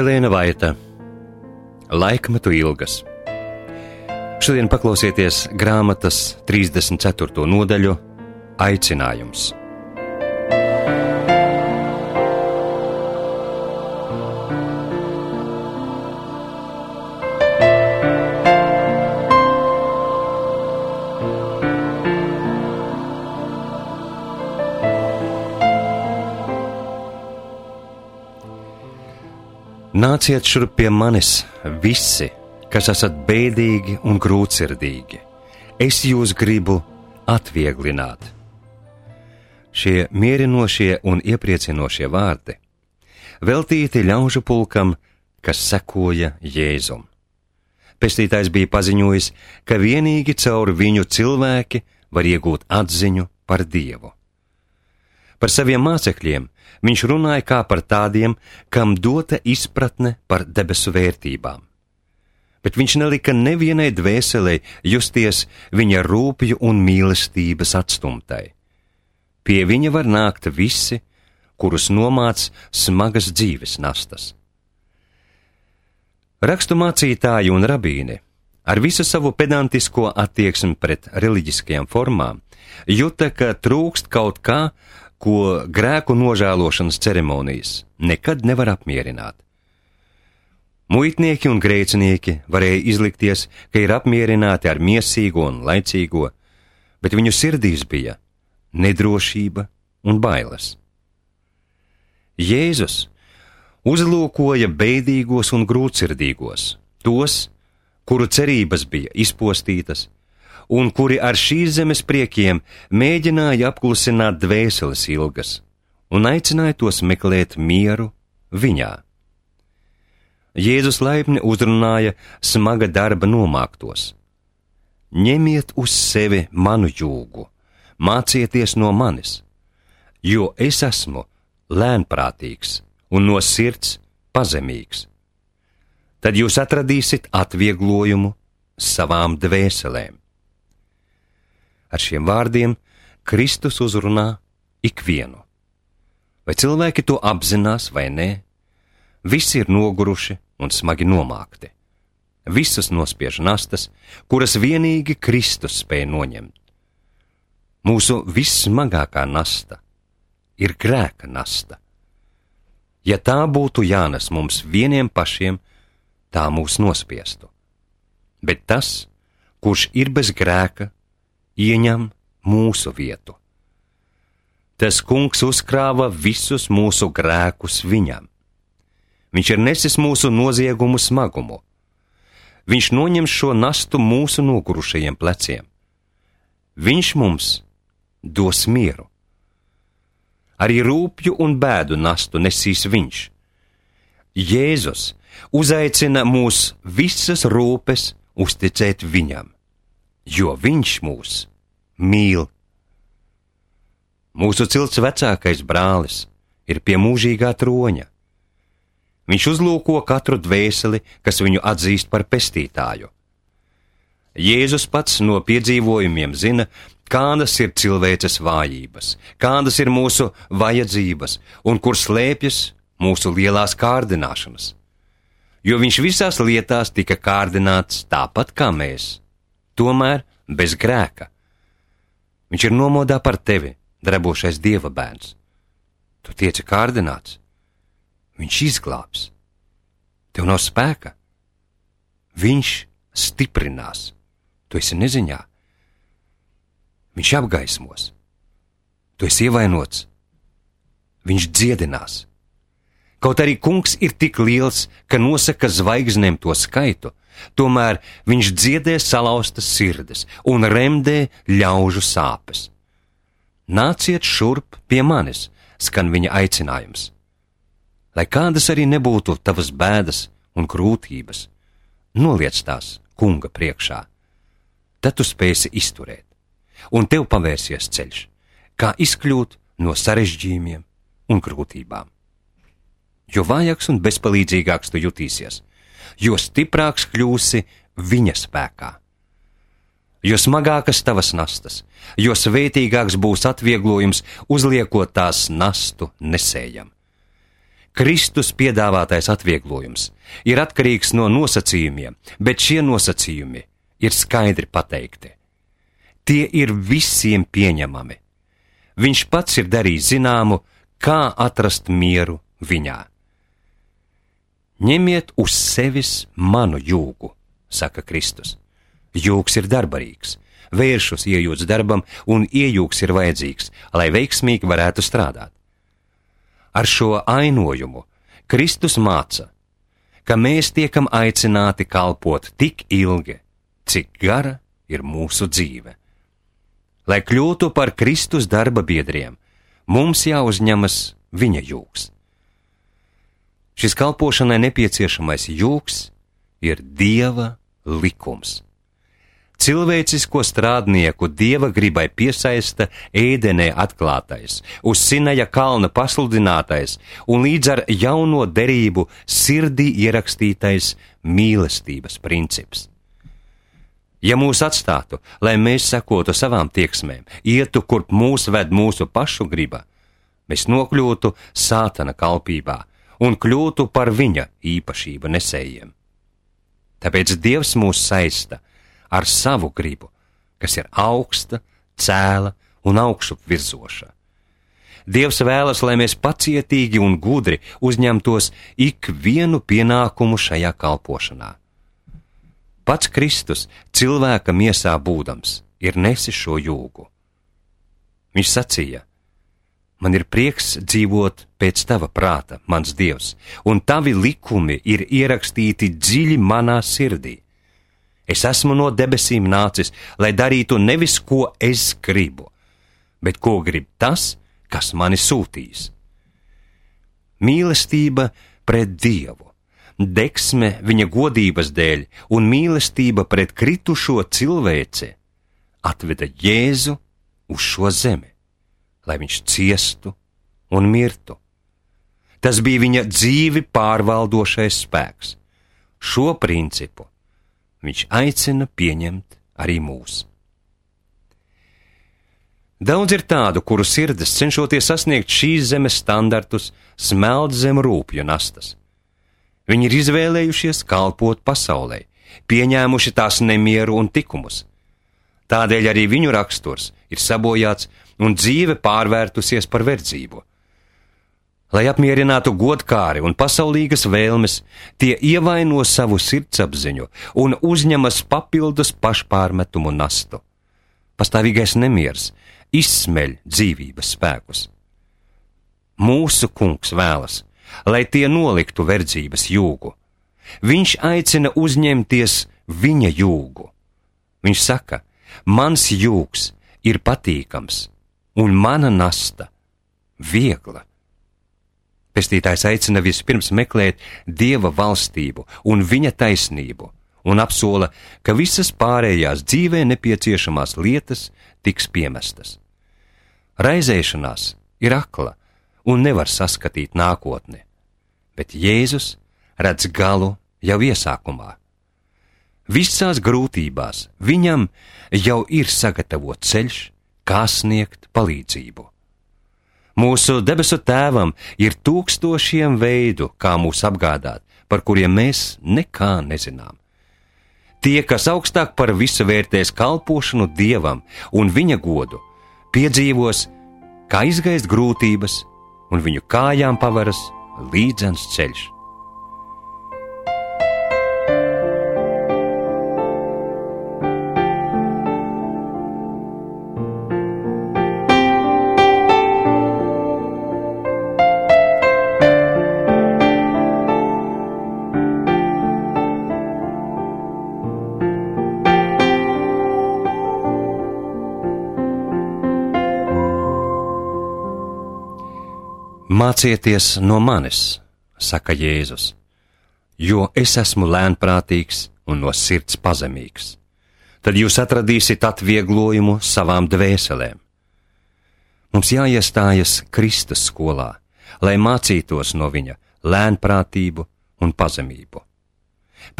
Elēna Vaita, Laikmetu ilgas. Šodien paklausieties grāmatas 34. nodaļu Aicinājums. Nāciet šurp pie manis, visi, kas esat bēdīgi un grūtsirdīgi. Es jūs gribu atvieglināt. Šie mierinošie un iepriecinošie vārdi veltīti ļaužu pulkam, kas sekoja Jēzum. Pestītājs bija paziņojis, ka vienīgi caur viņu cilvēki var iegūt atziņu par Dievu. Par saviem mācekļiem viņš runāja kā par tādiem, kam dota izpratne par debesu vērtībām. Bet viņš nelika nevienai dvēselei justies viņa rūpju un mīlestības atstumtai. Pie viņa var nākt visi, kurus nomāc smagas dzīves nastas. Rakstu mācītāji un rabīni ar visu savu pedantisko attieksmi pret reliģiskajām formām juta, ka trūkst kaut kā, ko grēku nožēlošanas ceremonijas nekad nevar apmierināt. Muitnieki un grēcinieki varēja izlikties, ka ir apmierināti ar miesīgo un laicīgo, bet viņu sirdīs bija nedrošība un bailes. Jēzus uzlūkoja bēdīgos un grūtsirdīgos, tos, kuru cerības bija izpostītas, un kuri ar šīs zemes priekiem mēģināja apklusināt dvēseles ilgas un aicināja tos meklēt mieru viņā. Jēzus laipni uzrunāja smaga darba nomāktos. Ņemiet uz sevi manu jūgu, mācieties no manis, jo es esmu lēnprātīgs un no sirds pazemīgs. Tad jūs atradīsiet atvieglojumu savām dvēselēm. Ar šiem vārdiem Kristus uzrunā ikvienu. Vai cilvēki to apzinās vai nē, visi ir noguruši un smagi nomākti. Visas nospiež nastas, kuras vienīgi Kristus spēj noņemt. Mūsu vissmagākā nasta ir grēka nasta. Ja tā būtu jānes mums vieniem pašiem, tā mūs nospiestu. Bet tas, kurš ir bez grēka, ieņem mūsu vietu. Tas kungs uzkrāva visus mūsu grēkus viņam. Viņš ir nesis mūsu noziegumu smagumu. Viņš noņem šo nastu mūsu nogurušajiem pleciem. Viņš mums dos mieru. Arī rūpju un bēdu nastu nesīs viņš. Jēzus uzaicina mūs visas rūpes uzticēt viņam, jo viņš mūs mīl. Mūsu cilts vecākais brālis ir pie mūžīgā troņa. Viņš uzlūko katru dvēseli, kas viņu atzīst par pestītāju. Jēzus pats no piedzīvojumiem zina, kādas ir cilvēces vājības, kādas ir mūsu vajadzības un kur slēpjas mūsu lielās kārdināšanas. Jo viņš visās lietās tika kārdināts tāpat kā mēs, tomēr bez grēka. Viņš ir nomodā par tevi, drebošais Dieva bērns. Tu tieci kārdināts. Viņš izglābs. Tev nav spēka. Viņš stiprinās. Tu esi neziņā. Viņš apgaismos. Tu esi ievainots. Viņš dziedinās. Kaut arī kungs ir tik liels, ka nosaka zvaigznēm to skaitu, tomēr viņš dziedē salauztas sirdes un remdē ļaužu sāpes. Nāciet šurp pie manis, skan viņa aicinājums. Lai kādas arī nebūtu tavas bēdas un grūtības, noliec tās kunga priekšā. Tad tu spēsi izturēt, un tev pavērsies ceļš, kā izkļūt no sarežģījumiem un grūtībām. Jo vājāks un bezpalīdzīgāks tu jutīsies, jo stiprāks kļūsi viņa spēkā. Jo smagākas tavas nastas, jo svētīgāks būs atvieglojums uzliekot tās nastu nesējam. Kristus piedāvātais atvieglojums ir atkarīgs no nosacījumiem, bet šie nosacījumi ir skaidri pateikti. Tie ir visiem pieņemami. Viņš pats ir darījis zināmu, kā atrast mieru viņā. Ņemiet uz sevis manu jūgu, saka Kristus. Jūgs ir darbarīgs, vēršus iejūts darbam, un iejūgs ir vajadzīgs, lai veiksmīgi varētu strādāt. Ar šo ainojumu Kristus māca, ka mēs tiekam aicināti kalpot tik ilgi, cik gara ir mūsu dzīve. Lai kļūtu par Kristus darba biedriem, mums jāuzņemas viņa jūgs. Šis kalpošanai nepieciešamais jūgs ir Dieva likums. Cilvēcisko strādnieku Dieva gribai piesaista ēdenē atklātais, uz Sinaja kalna pasludinātais un līdz ar jauno derību sirdī ierakstītais mīlestības princips. Ja mūs atstātu, lai mēs sekotu savām tieksmēm, ietu, kurp mūs ved mūsu pašu griba, mēs nokļūtu Sātana kalpībā un kļūtu par viņa īpašību nesējiem. Tāpēc Dievs mūs saista ar savu gribu, kas ir augsta, cēla un augšup virzoša. Dievs vēlas, lai mēs pacietīgi un gudri uzņemtos ikvienu pienākumu šajā kalpošanā. Pats Kristus, cilvēka miesā būdams, ir nesis šo jūgu. Viņš sacīja: man ir prieks dzīvot pēc tava prāta, mans Dievs, un tavi likumi ir ierakstīti dziļi manā sirdī. Es esmu no debesīm nācis, lai darītu nevis, ko es gribu, bet ko grib tas, kas mani sūtīs. Mīlestība pret Dievu, deksme viņa godības dēļ un mīlestība pret kritušo cilvēci atveda Jēzu uz šo zemi, lai viņš ciestu un mirtu. Tas bija viņa dzīvi pārvaldošais spēks. Šo principu viņš aicina pieņemt arī mūs. Daudz ir tādu, kuru sirdis, cenšoties sasniegt šīs zemes standartus, smeld zem rūpju nastas. Viņi ir izvēlējušies kalpot pasaulē, pieņēmuši tās nemieru un tikumus. Tādēļ arī viņu raksturs ir sabojāts un dzīve pārvērtusies par verdzību. Lai apmierinātu godkāri un pasaulīgas vēlmes, tie ievaino savu sirdsapziņu un uzņemas papildus pašpārmetumu nastu. Pastāvīgais nemieris izsmeļ dzīvības spēkus. Mūsu Kungs vēlas, lai tie noliktu verdzības jūgu. Viņš aicina uzņemties viņa jūgu. Viņš saka: mans jūgs ir patīkams un mana nasta viegla. Pestītājs aicina vispirms meklēt Dieva valstību un viņa taisnību un apsola, ka visas pārējās dzīvē nepieciešamās lietas tiks piemestas. Raizēšanās ir akla un nevar saskatīt nākotni, bet Jēzus redz galu jau iesākumā. Visās grūtībās viņam jau ir sagatavots ceļš, kā sniegt palīdzību. Mūsu debesu Tēvam ir tūkstošiem veidu, kā mūs apgādāt, par kuriem mēs nekā nezinām. Tie, kas augstāk par visu vērtēs kalpošanu Dievam un viņa godu, piedzīvos, kā izgaist grūtības, un viņu kājām paveras līdzens ceļš. Mācieties no manis, saka Jēzus, jo es esmu lēnprātīgs un no sirds pazemīgs. Tad jūs atradīsiet atvieglojumu savām dvēselēm. Mums jāiestājas Kristus skolā, lai mācītos no viņa lēnprātību un pazemību.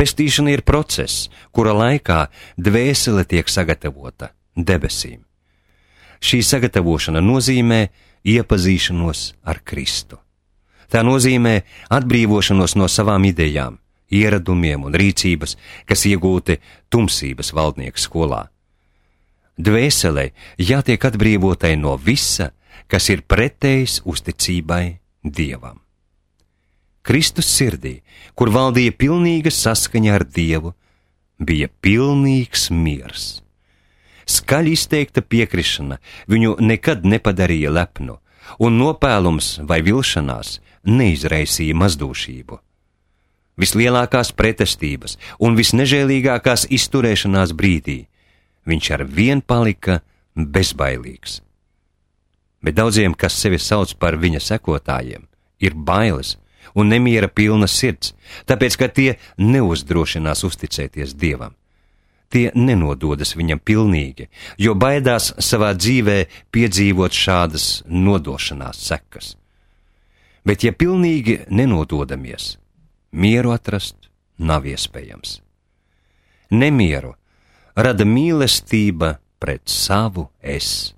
Pestīšana ir process, kura laikā dvēsele tiek sagatavota debesīm. Šī sagatavošana nozīmē iepazīšanos ar Kristu. Tā nozīmē atbrīvošanos no savām idejām, ieradumiem un rīcības, kas iegūti tumsības valdnieka skolā. Dvēselei jātiek atbrīvotai no visa, kas ir pretējs uzticībai Dievam. Kristus sirdī, kur valdīja pilnīga saskaņa ar Dievu, bija pilnīgs miers. Skaļi izteikta piekrišana viņu nekad nepadarīja lepnu, un nopēlums vai vilšanās neizraisīja mazdūšību. Vislielākās pretestības un visnežēlīgākās izturēšanās brīdī viņš ar vien palika bezbailīgs. Bet daudziem, kas sevi sauc par viņa sekotājiem, ir bailes un nemiera pilna sirds, tāpēc, ka tie neuzdrošinās uzticēties Dievam. Tie nenododas viņam pilnīgi, jo baidās savā dzīvē piedzīvot šādas nodošanās sekas. Bet ja pilnīgi nenododamies, mieru atrast nav iespējams. Nemieru rada mīlestība pret savu es.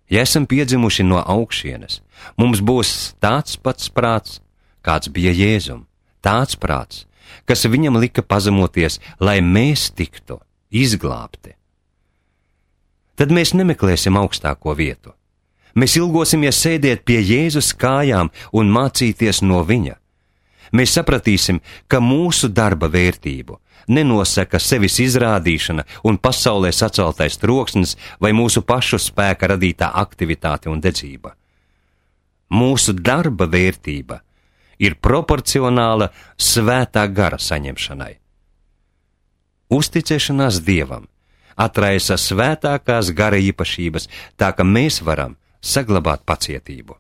Ja esam piedzimuši no augšienes, mums būs tāds pats prāts, kāds bija Jēzum, tāds prāts, kas viņam lika pazemoties, lai mēs tiktu izglābti. Tad mēs nemeklēsim augstāko vietu. Mēs ilgosimies sēdēt pie Jēzus kājām un mācīties no viņa. Mēs sapratīsim, ka mūsu darba vērtību nenosaka sevis izrādīšana un pasaulē saceltais troksnis vai mūsu pašu spēka radītā aktivitāte un dedzība. Mūsu darba vērtība ir proporcionāla svētā gara saņemšanai. Uzticēšanās Dievam atraisa svētākās gara īpašības, tā ka mēs varam saglabāt pacietību.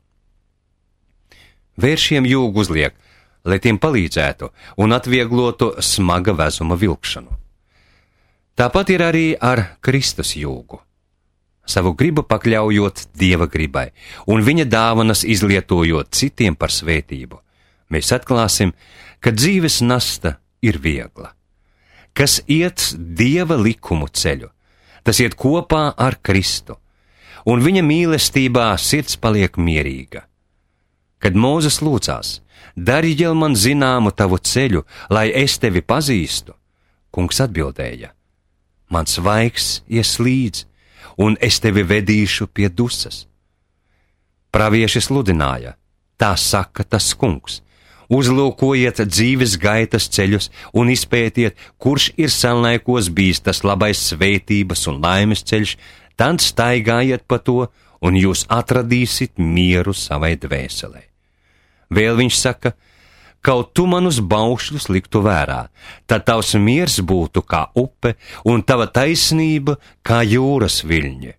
Vēršiem jūgu uzliek, lai tiem palīdzētu un atvieglotu smaga vezuma vilkšanu. Tāpat ir arī ar Kristus jūgu. Savu gribu pakļaujot Dieva gribai un viņa dāvanas izlietojot citiem par svētību, mēs atklāsim, ka dzīves nasta ir viegla. Kas iet Dieva likumu ceļu, tas iet kopā ar Kristu, un viņa mīlestībā sirds paliek mierīga. Kad Mūzes lūdzās, dari jau man zināmu tavu ceļu, lai es tevi pazīstu, Kungs atbildēja, mans vaigs ies līdz, un es tevi vedīšu pie dusas. Pravieši sludināja, tā saka tas Kungs, uzlūkojiet dzīves gaitas ceļus un izpētiet, kurš ir senlaikos bijis tas labais svētības un laimes ceļš, tad staigājiet pa to, un jūs atradīsit mieru savai dvēselei. Vēl viņš saka, kaut tu manus baušļus liktu vērā, tad tavs miers būtu kā upe un tava taisnība kā jūras viļņi.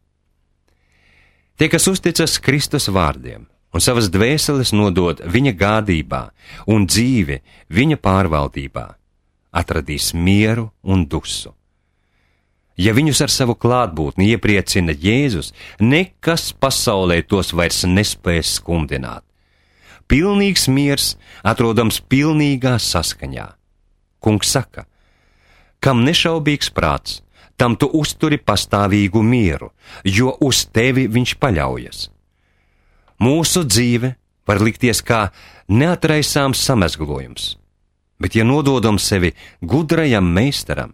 Tie, kas uzticas Kristus vārdiem un savas dvēseles nodod viņa gādībā un dzīvi viņa pārvaldībā, atradīs mieru un dusu. Ja viņus ar savu klātbūtni iepriecina Jēzus, nekas pasaulē tos vairs nespēs skumdināt. Pilnīgs miers atrodams pilnīgā saskaņā. Kungs saka, kam nešaubīgs prāts, tam tu uzturi pastāvīgu mieru, jo uz tevi viņš paļaujas. Mūsu dzīve var likties kā neatraisāms samezglojums, bet ja nododam sevi gudrajam meistaram,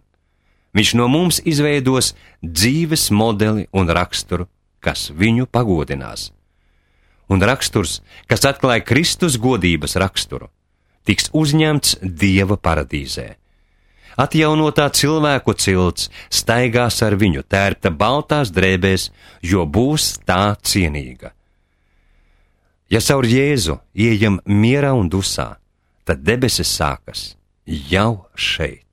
viņš no mums izveidos dzīves modeli un raksturu, kas viņu pagodinās. Un raksturs, kas atklāja Kristus godības raksturu, tiks uzņemts Dieva paradīzē. Atjaunotā cilvēku cilts staigās ar viņu tērpta baltās drēbēs, jo būs tā cienīga. Ja caur Jēzu ieejam mierā un dusā, tad debesis sākas jau šeit.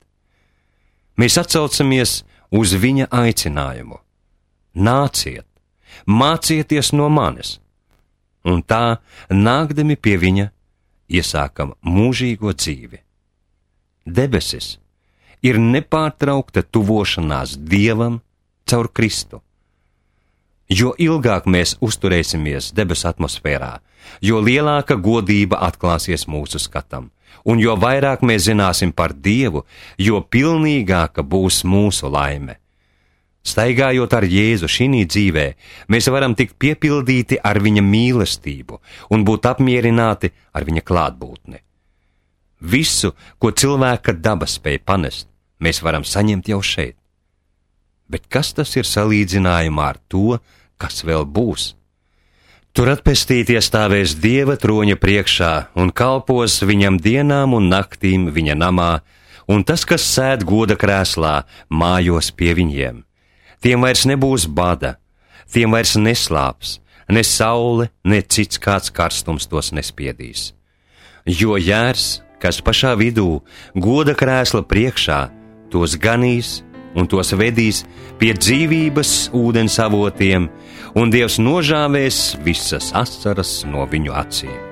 Mēs atsaucamies uz viņa aicinājumu. Nāciet, mācieties no manis! Un tā, nākdami pie viņa, iesākam mūžīgo dzīvi. Debesis ir nepārtraukta tuvošanās Dievam caur Kristu. Jo ilgāk mēs uzturēsimies debesu atmosfērā, jo lielāka godība atklāsies mūsu skatam, un jo vairāk mēs zināsim par Dievu, jo pilnīgāka būs mūsu laime. Staigājot ar Jēzu šī dzīvē, mēs varam tikt piepildīti ar viņa mīlestību un būt apmierināti ar viņa klātbūtni. Visu, ko cilvēka daba spēj panest, mēs varam saņemt jau šeit. Bet kas tas ir salīdzinājumā ar to, kas vēl būs? Tur atpestītie stāvēs Dieva troņa priekšā un kalpos viņam dienām un naktīm viņa namā, un tas, kas sēd goda krēslā, mājos pie viņiem. Tiem vairs nebūs bada, tiem vairs neslāps, ne saule, ne cits kāds karstums tos nespiedīs. Jo jērs, kas pašā vidū, goda krēsla priekšā, tos ganīs un tos vedīs pie dzīvības ūdens avotiem, un Dievs nožāvēs visas asaras no viņu acīm.